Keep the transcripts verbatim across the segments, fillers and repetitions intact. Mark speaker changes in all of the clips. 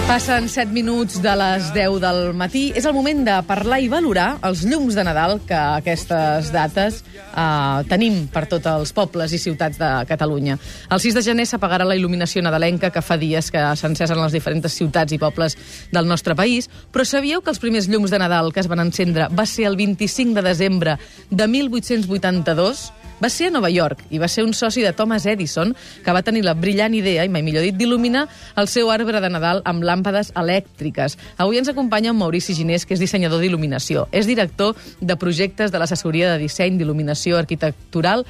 Speaker 1: Passen set minuts de les deu del matí. És el moment de parlar i valorar els llums de Nadal que a aquestes dates eh, tenim per tots els pobles i ciutats de Catalunya. El sis de gener s'apagarà la il·luminació nadalenca que fa dies que s'encesen a les diferents ciutats i pobles del nostre país, però sabíeu que els primers llums de Nadal que es van encendre va ser el vint-i-cinc de desembre de mil vuit-cents vuitanta-dos? Va ser a Nova York i va ser un soci de Thomas Edison que va tenir la brillant idea, i mai millor dit, d'il·luminar el seu arbre de Nadal amb làmpades elèctriques. Avui ens acompanya en Maurici Ginés, que és dissenyador d'il·luminació. És director de projectes de l'assessoria de disseny d'il·luminació arquitectural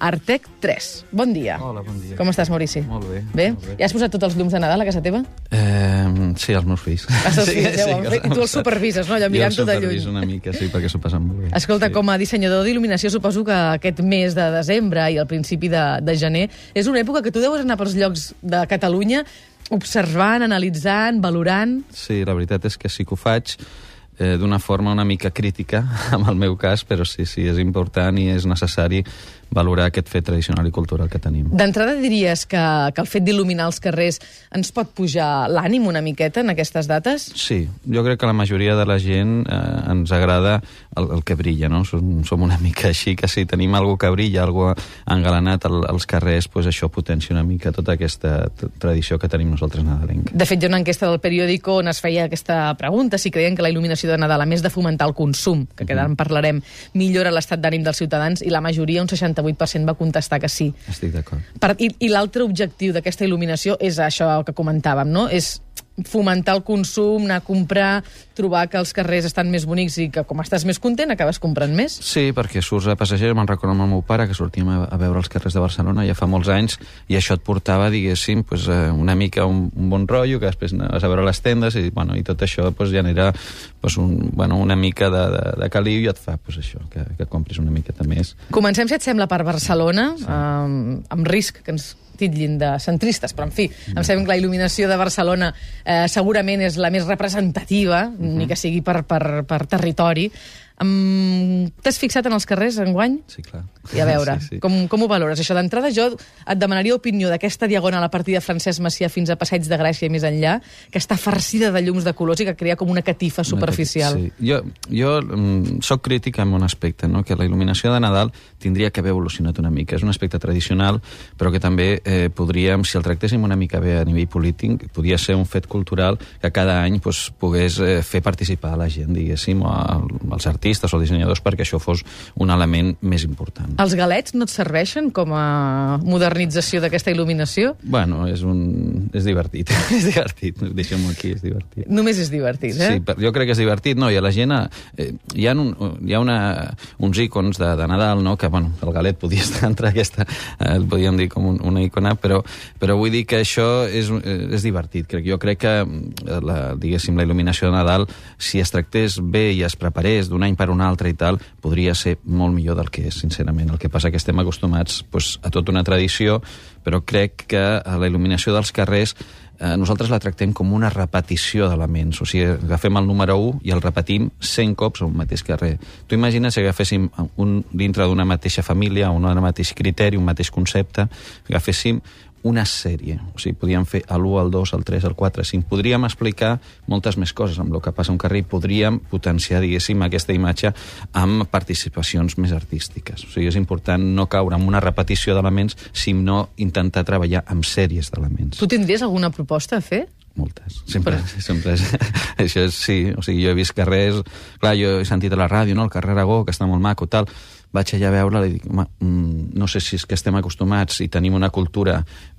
Speaker 1: Artec tres. Bon dia.
Speaker 2: Hola, bon dia.
Speaker 1: Com estàs, Maurici?
Speaker 2: Molt bé.
Speaker 1: Bé?
Speaker 2: Molt bé.
Speaker 1: Ja has posat tots els llums de Nadal a casa teva?
Speaker 2: Eh, sí, els meus fills.
Speaker 1: Els teus
Speaker 2: sí,
Speaker 1: fills, ja ho han
Speaker 2: sí,
Speaker 1: fet. I tu els supervises, no? Allò mirant-ho de lluny.
Speaker 2: Jo els superviso una mica, sí, perquè s'ho passen molt bé.
Speaker 1: Escolta,
Speaker 2: sí.
Speaker 1: Com a dissenyador d'il·luminació, suposo que aquest mes de desembre i el principi de, de gener és una època que tu deus anar pels llocs de Catalunya observant, analitzant, valorant...
Speaker 2: Sí, la veritat és que sí que ho faig eh, d'una forma una mica crítica, en el meu cas, però sí, sí, és important i és necessari valorar aquest fet tradicional i cultural que tenim.
Speaker 1: D'entrada diries que, que el fet d'il·luminar els carrers ens pot pujar l'ànim una miqueta en aquestes dates?
Speaker 2: Sí, jo crec que la majoria de la gent eh, ens agrada el, el que brilla, no? Som, som una mica així, que si tenim algú que brilla, algú engalanat al, als carrers, pues això potencia una mica tota aquesta tradició que tenim nosaltres nadalenca.
Speaker 1: De fet, hi ha una enquesta del periòdico on es feia aquesta pregunta, si creien que la il·luminació de Nadal, a més de fomentar el consum, que ara en parlarem, millora l'estat d'ànim dels ciutadans, i la majoria, un seixanta-vuit per cent, va contestar que sí.
Speaker 2: Estic d'acord.
Speaker 1: Per, I i l'altre objectiu d'aquesta il·luminació és això que comentàvem, no? És fomentar el consum, anar a comprar, trobar que els carrers estan més bonics i que com estàs més content acabes comprant més.
Speaker 2: Sí, perquè surts a passejar, me'n recordo amb el meu pare que sortíem a, a veure els carrers de Barcelona ja fa molts anys i això et portava, diguéssim, pues, una mica un, un bon rotllo, que després anaves a veure les tendes i, bueno, i tot això pues, genera pues, un, bueno, una mica de, de, de caliu i et fa pues, això, que, que compris una miqueta més.
Speaker 1: Comencem, si et sembla, per Barcelona, sí. um, amb risc que ens titllin de centristes, però en fi, em sembla que la il·luminació de Barcelona eh, segurament és la més representativa, mm-hmm. ni que sigui per, per, per territori. Um, T'has fixat en els carrers enguany?
Speaker 2: Sí, clar.
Speaker 1: I a veure,
Speaker 2: sí, sí.
Speaker 1: Com, com ho valores? Això d'entrada jo et demanaria opinió d'aquesta diagonal a partir de Francesc Macià fins a Passeig de Gràcia i més enllà, que està farcida de llums de colors i que crea com una catifa superficial.
Speaker 2: Sí. Jo, jo um, soc crític en un aspecte, no? Que la il·luminació de Nadal tindria que haver evolucionat una mica. És un aspecte tradicional, però que també eh, podríem, si el tractéssim una mica bé a nivell polític, podria ser un fet cultural que cada any pues, pogués eh, fer participar a la gent, diguéssim, o als artistes o dissenyadors, perquè això fos un element més important.
Speaker 1: Els galets no et serveixen com a modernització d'aquesta il·luminació?
Speaker 2: Bueno, és, un... és divertit. és divertit, deixem-ho aquí, és divertit.
Speaker 1: Només és divertit, eh?
Speaker 2: Sí, jo crec que és divertit, no? I a la gent eh, hi ha, un, hi ha una, uns icons de, de Nadal, no? Que, bueno, el galet podia estar entre aquesta, eh, el podíem dir com un, una icona, però, però vull dir que això és, és divertit. Crec. Jo crec que, la, diguéssim, la il·luminació de Nadal, si es tractés bé i es preparés d'un any per un altre i tal, podria ser molt millor del que és, sincerament. El que passa que estem acostumats pues, a tota una tradició, però crec que la il·luminació dels carrers eh, nosaltres la tractem com una repetició d'elements. O sigui, agafem el número u i el repetim cent cops a un mateix carrer. Tu imagines si agaféssim un, dintre d'una mateixa família, un mateix criteri, un mateix concepte, agaféssim una sèrie. O sigui, podríem fer l'u, el dos, el tres, el quatre, el cinc. Podríem explicar moltes més coses amb el que passa a un carrer i podríem potenciar, diguéssim, aquesta imatge amb participacions més artístiques. O sigui, és important no caure en una repetició d'elements, sinó intentar treballar amb sèries d'elements.
Speaker 1: Tu tindries alguna proposta a fer?
Speaker 2: Moltes. Sempre, Però... sempre és... Això és, sí. O sigui, jo he vist carrers... Clar, jo he sentit a la ràdio, no?, el carrer Aragó, que està molt maco, tal. Vaig allà a veure-la i dic, home, no sé si és que estem acostumats i tenim una cultura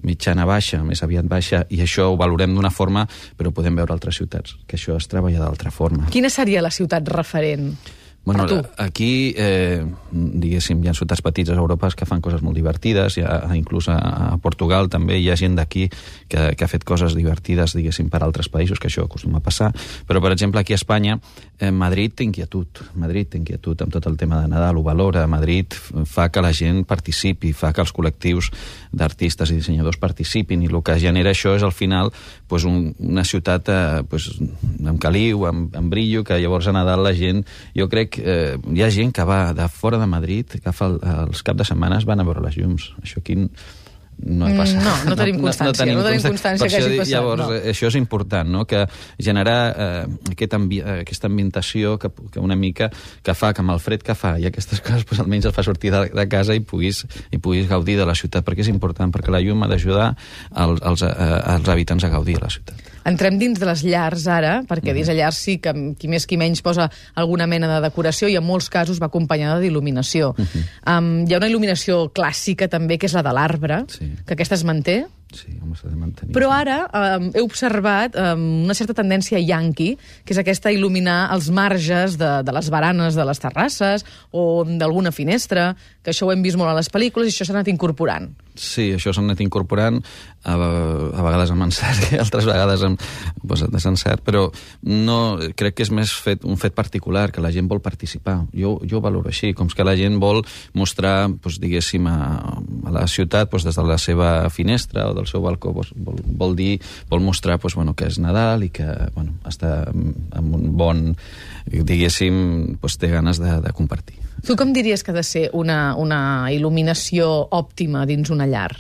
Speaker 2: mitjana baixa, més aviat baixa, i això ho valorem d'una forma, però podem veure altres ciutats, que això es treballa d'altra forma.
Speaker 1: Quina seria la ciutat referent?
Speaker 2: Bueno, aquí, eh, diguéssim, hi ha ciutats petites a Europa que fan coses molt divertides, hi ha, inclús a, a Portugal també hi ha gent d'aquí que, que ha fet coses divertides, diguéssim, per altres països, que això acostuma a passar, però, per exemple, aquí a Espanya, eh, Madrid té inquietud, Madrid té inquietud amb tot el tema de Nadal, ho valora, Madrid fa que la gent participi, fa que els col·lectius d'artistes i dissenyadors participin, i el que genera això és, al final, pues, un, una ciutat eh, pues, amb caliu, amb, amb brillo, que llavors a Nadal la gent, jo crec Eh, hi ha gent que va de fora de Madrid, que fa el, els caps de setmanes van a veure les llums. Això aquí no ha passat.
Speaker 1: No, no tenim constància, no, no tenim, no tenim constància que hagi passat.
Speaker 2: Llavors,
Speaker 1: no.
Speaker 2: això és important, no? Que generar eh, aquest ambi aquesta ambientació que, que una mica que fa que amb el fred que fa i aquestes coses pues, almenys el fa sortir de, de casa i puguis, i puguis gaudir de la ciutat, perquè és important, perquè la llum ha d'ajudar als, als, als habitants a gaudir de la ciutat.
Speaker 1: Entrem dins de les llars ara, perquè mm. dins de llars sí que qui més qui menys posa alguna mena de decoració i en molts casos va acompanyada d'il·luminació. Mm -hmm. um, hi ha una il·luminació clàssica també, que és la de l'arbre, sí. que aquesta es manté.
Speaker 2: Sí, home, s'ha de mantenir.
Speaker 1: Però ara um, he observat um, una certa tendència yanqui, que és aquesta il·luminar els marges de, de les baranes de les terrasses o d'alguna finestra, que això ho hem vist molt a les pel·lícules i això s'ha anat incorporant.
Speaker 2: Sí, això s'ha anat incorporant, a, a vegades amb encert i altres vegades amb pues, desencert, però no, crec que és més fet, un fet particular, que la gent vol participar. Jo, jo ho valoro així, com que la gent vol mostrar, pues, diguéssim, a, a la ciutat pues, des de la seva finestra o del seu balcó, pues, vol, vol dir, vol mostrar pues, bueno, que és Nadal i que bueno, està amb un bon, diguéssim, pues, té ganes de, de compartir.
Speaker 1: Tu com diries que ha de ser una, una il·luminació òptima dins una llar?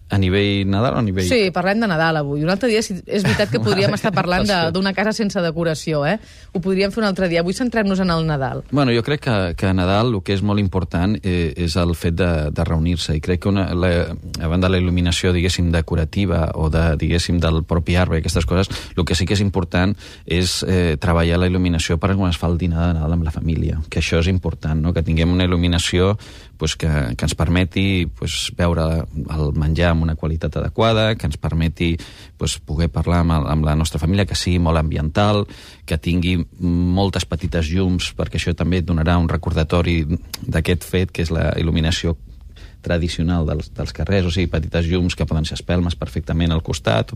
Speaker 2: A nivell Nadal o a nivell...
Speaker 1: Sí, parlem de Nadal avui. Un altre dia, és veritat que podríem estar parlant d'una casa sense decoració, eh? Ho podríem fer un altre dia. Avui centrem-nos en el Nadal.
Speaker 2: Bueno, jo crec que, que a Nadal el que és molt important eh, és el fet de, de reunir-se, i crec que una, la, a banda de la il·luminació, diguéssim, decorativa o de, diguéssim, del propi arbre i aquestes coses, el que sí que és important és eh, treballar la il·luminació per quan es fa el dinar de Nadal amb la família, que això és important, no? Que tinguem una il·luminació pues, que, que ens permeti pues, veure el menjar amb una qualitat adequada, que ens permeti pues, poder parlar amb, amb la nostra família, que sigui molt ambiental, que tingui moltes petites llums, perquè això també donarà un recordatori d'aquest fet, que és la il·luminació tradicional dels, dels carrers, o sigui, petites llums que poden ser espelmes perfectament al costat.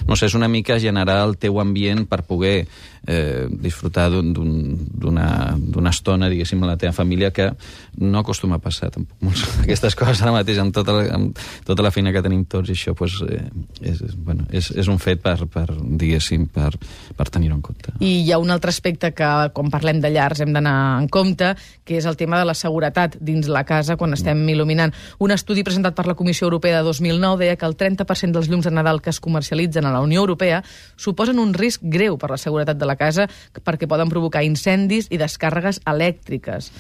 Speaker 2: No sé, és una mica generar el teu ambient per poder eh, disfrutar d'una estona, diguéssim, amb la teva família, que no acostuma a passar tampoc molts, aquestes coses ara mateix, amb tota la, amb tota la feina que tenim tots, i això pues, eh, és, bueno, és, és un fet per, per diguéssim, per, per tenir-ho en compte.
Speaker 1: I hi ha un altre aspecte que, quan parlem de llars, hem d'anar en compte, que és el tema de la seguretat dins la casa quan estem mm. il·luminant. Un estudi presentat per la Comissió Europea de dos mil nou deia que el trenta per cent dels llums de Nadal que es comercialitzen a la Unió Europea suposen un risc greu per la seguretat de la casa perquè poden provocar incendis i descàrregues elèctriques.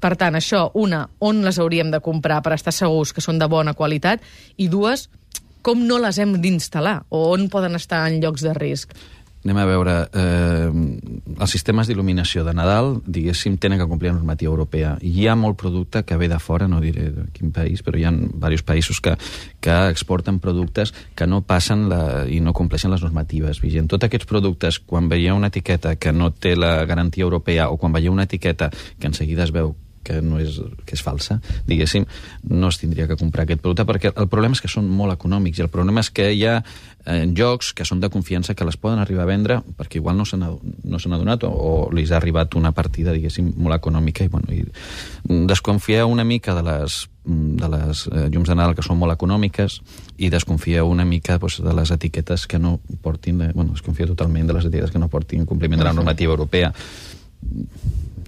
Speaker 1: Per tant, això, una, on les hauríem de comprar per estar segurs que són de bona qualitat, i dues, com no les hem d'instal·lar o on poden estar en llocs de risc.
Speaker 2: Anem a veure, eh, els sistemes d'il·luminació de Nadal, diguéssim, tenen que complir la normativa europea. Hi ha molt producte que ve de fora, no diré de quin país, però hi ha diversos països que, que exporten productes que no passen la, i no compleixen les normatives vigents. Tots aquests productes, quan veieu una etiqueta que no té la garantia europea, o quan veieu una etiqueta que en seguida es veu que no és, que és falsa, diguéssim, no es tindria que comprar aquest producte, perquè el problema és que són molt econòmics, i el problema és que hi ha eh, jocs que són de confiança que les poden arribar a vendre perquè igual no s'han no s'han adonat o, o li ha arribat una partida, diguéssim, molt econòmica, i, bueno, i desconfieu una mica de les de les eh, llums de Nadal que són molt econòmiques, i desconfieu una mica pues, de les etiquetes que no portin, de, bueno, desconfieu totalment de les etiquetes que no portin compliment de la normativa europea.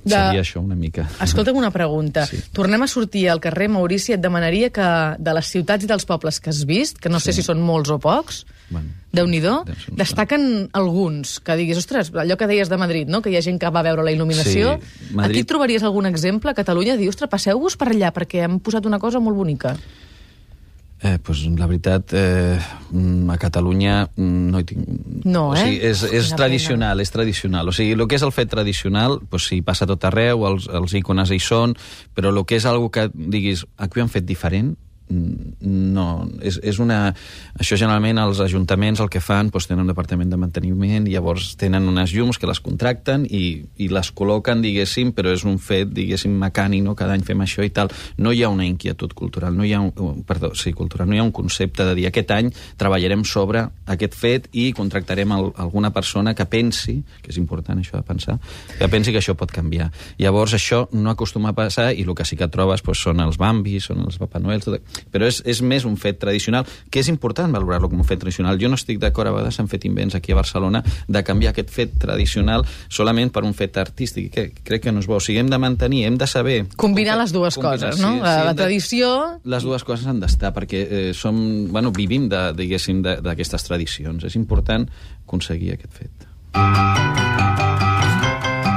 Speaker 2: De... Seria això una mica.
Speaker 1: Escolta'm una pregunta. Sí. Tornem a sortir al carrer, Maurici, et demanaria que de les ciutats i dels pobles que has vist, que no sí. sé si són molts o pocs, bueno, Déu-n'hi-do, destaquen alguns, que diguis, ostres, allò que deies de Madrid, no? Que hi ha gent que va veure la il·luminació. Sí, Madrid... Aquí trobaries algun exemple? A Catalunya, dir, ostres, passeu-vos per allà, perquè hem posat una cosa molt bonica.
Speaker 2: Eh, pues, la veritat, eh, a Catalunya no hi tinc...
Speaker 1: No, eh?
Speaker 2: O sigui, és, és tradicional, és tradicional. O sigui, el que és el fet tradicional, pues, sí, passa a tot arreu, els, els icones hi són, però el que és algo que diguis, aquí ho han fet diferent, no, és, és una... Això generalment els ajuntaments el que fan, doncs tenen un departament de manteniment i llavors tenen unes llums que les contracten i, i les col·loquen, diguéssim, però és un fet, diguéssim, mecànic, no? Cada any fem això i tal. No hi ha una inquietud cultural, no hi ha un, perdó, sí, cultural, no hi ha un concepte de dir aquest any treballarem sobre aquest fet i contractarem el, alguna persona que pensi, que és important això de pensar, que pensi que això pot canviar. Llavors això no acostuma a passar, i el que sí que trobes doncs, són els Bambis, són els Papa Noel, tot... però és, és més un fet tradicional, que és important valorar-lo com un fet tradicional. Jo no estic d'acord, a vegades s'han fet invents aquí a Barcelona de canviar aquest fet tradicional solament per un fet artístic, que crec que no és bo. O sigui, hem de mantenir, hem de saber...
Speaker 1: Combinar les dues
Speaker 2: combinar,
Speaker 1: coses, no?
Speaker 2: Sí,
Speaker 1: la
Speaker 2: sí,
Speaker 1: la
Speaker 2: de,
Speaker 1: tradició...
Speaker 2: Les dues coses han d'estar, perquè eh, som, bueno, vivim de, diguéssim, d'aquestes tradicions. És important aconseguir aquest fet.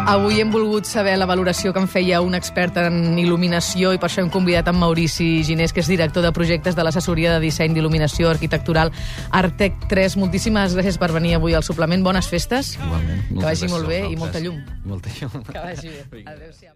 Speaker 1: Avui hem volgut saber la valoració que en feia un expert en il·luminació i per això hem convidat en Maurici Ginés, que és director de projectes de l'assessoria de disseny d'il·luminació arquitectural Artec tres. Moltíssimes gràcies per venir avui al suplement. Bones festes.
Speaker 2: Igualment.
Speaker 1: Que vagi molt bé i molta llum.
Speaker 2: Molta llum.
Speaker 1: Que vagi bé. Adéu-siau.